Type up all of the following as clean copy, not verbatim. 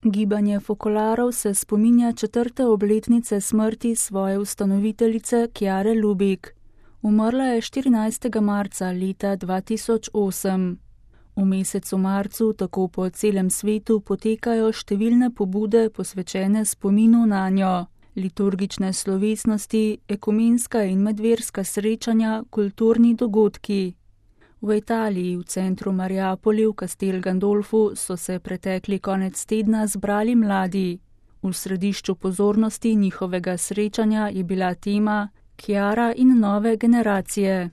Gibanje Fokolarov se spominja 4. obletnice smrti svoje ustanoviteljice Chiare Lubich. Umrla je 14. marca leta 2008. V mesecu marcu tako po celem svetu potekajo številne pobude posvečene spominu nanjo. Liturgične slovesnosti, ekumenska in medverska srečanja, kulturni dogodki. V Italiji, v centru Mariapoli v Castel Gandolfu, so se pretekli konec tedna zbrali mladi. V središču pozornosti njihovega srečanja je bila tema Chiara in nove generacije.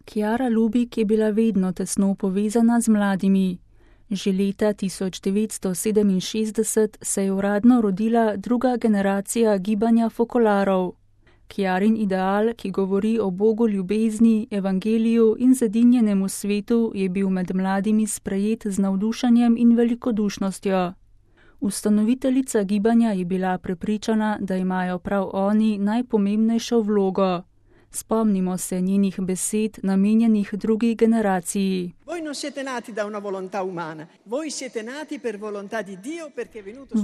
Chiara Lubich je bila vedno tesno povezana z mladimi. Že leta 1967 se je uradno rodila druga generacija gibanja Fokolarov. Chiarin ideal, ki govori o Bogu ljubezni, evangeliju in zedinjenemu svetu, je bil med mladimi sprejet z navdušenjem in velikodušnostjo. Ustanoviteljica gibanja je bila prepričana, da imajo prav oni najpomembnejšo vlogo. Spomnimo se njenih besed, namenjenih drugi generaciji.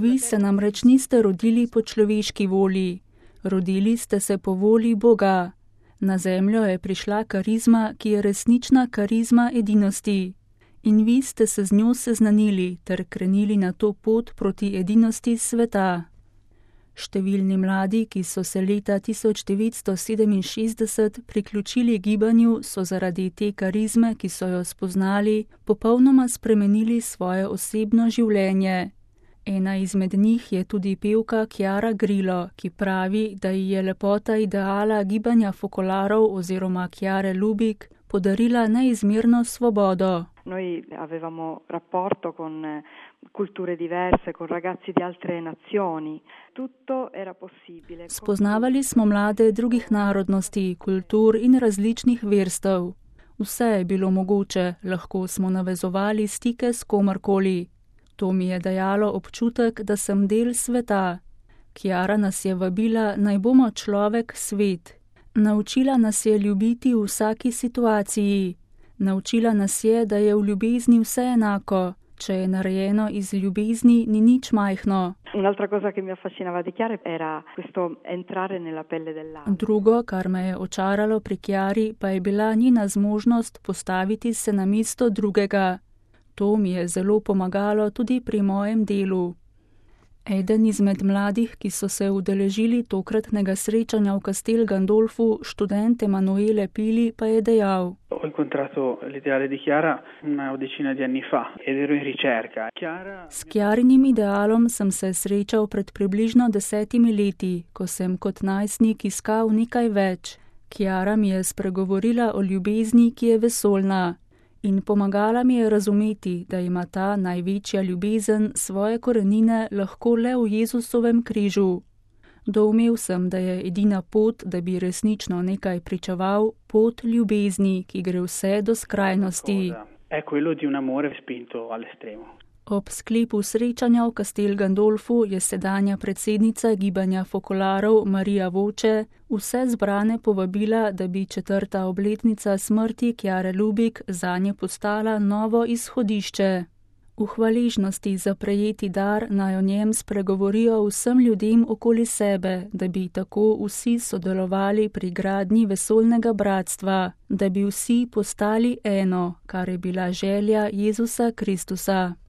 Vi se namreč niste rodili po človeški volji. Rodili ste se po volji Boga. Na zemljo je prišla karizma, ki je resnična karizma edinosti. In vi ste se z njo seznanili ter krenili na to pot proti edinosti sveta. Številni mladi, ki so se leta 1967 priključili gibanju, so zaradi te karizme, ki so jo spoznali, popolnoma spremenili svoje osebno življenje. Ena izmed njih je tudi pevka Chiara Grillo, ki pravi, da ji je lepota ideala gibanja Fokolarov oziroma Chiare Lubich podarila neizmerno svobodo. Noi avevamo rapporto con culture diverse, con ragazzi di altre nazioni. Tutto era possibile. Spoznavali smo mlade drugih narodnosti, kultur in različnih verstev. Vse je bilo mogoče, lahko smo navezovali stike s komarkoli. To mi je dajalo občutek, da sem del sveta. Chiara nas je vabila, naj bomo človek svet. Naučila nas je ljubiti v vsaki situaciji. Naučila nas je, da je v ljubezni vse enako. Če je narejeno iz ljubezni, ni nič majhno. Drugo, kar me je očaralo pri Chiari, pa je bila njena zmožnost postaviti se na mesto drugega. To mi je zelo pomagalo tudi pri mojem delu. Eden izmed mladih, ki so se udeležili tokratnega srečanja v Castel Gandolfu, študent Emanuele Pili, pa je dejal. S Chiarinim idealom sem se srečal pred približno 10 leti, ko sem kot najstnik iskal nekaj več. Chiara mi je spregovorila o ljubezni, ki je vesoljna. In pomagala mi je razumeti, da ima ta največja ljubezen svoje korenine lahko le v Jezusovem križu. Doumel sem, da je edina pot, da bi resnično nekaj pričeval, pot ljubezni, ki gre vse do skrajnosti. Ob sklepu srečanja v Castel Gandolfu je sedanja predsednica gibanja Fokolarov Marija Voče vse zbrane povabila, da bi 4. obletnica smrti Chiare Lubich zanje postala novo izhodišče. V hvaležnosti za prejeti dar naj o njem spregovorijo vsem ljudem okoli sebe, da bi tako vsi sodelovali pri gradnji vesoljnega bratstva, da bi vsi postali eno, kar je bila želja Jezusa Kristusa.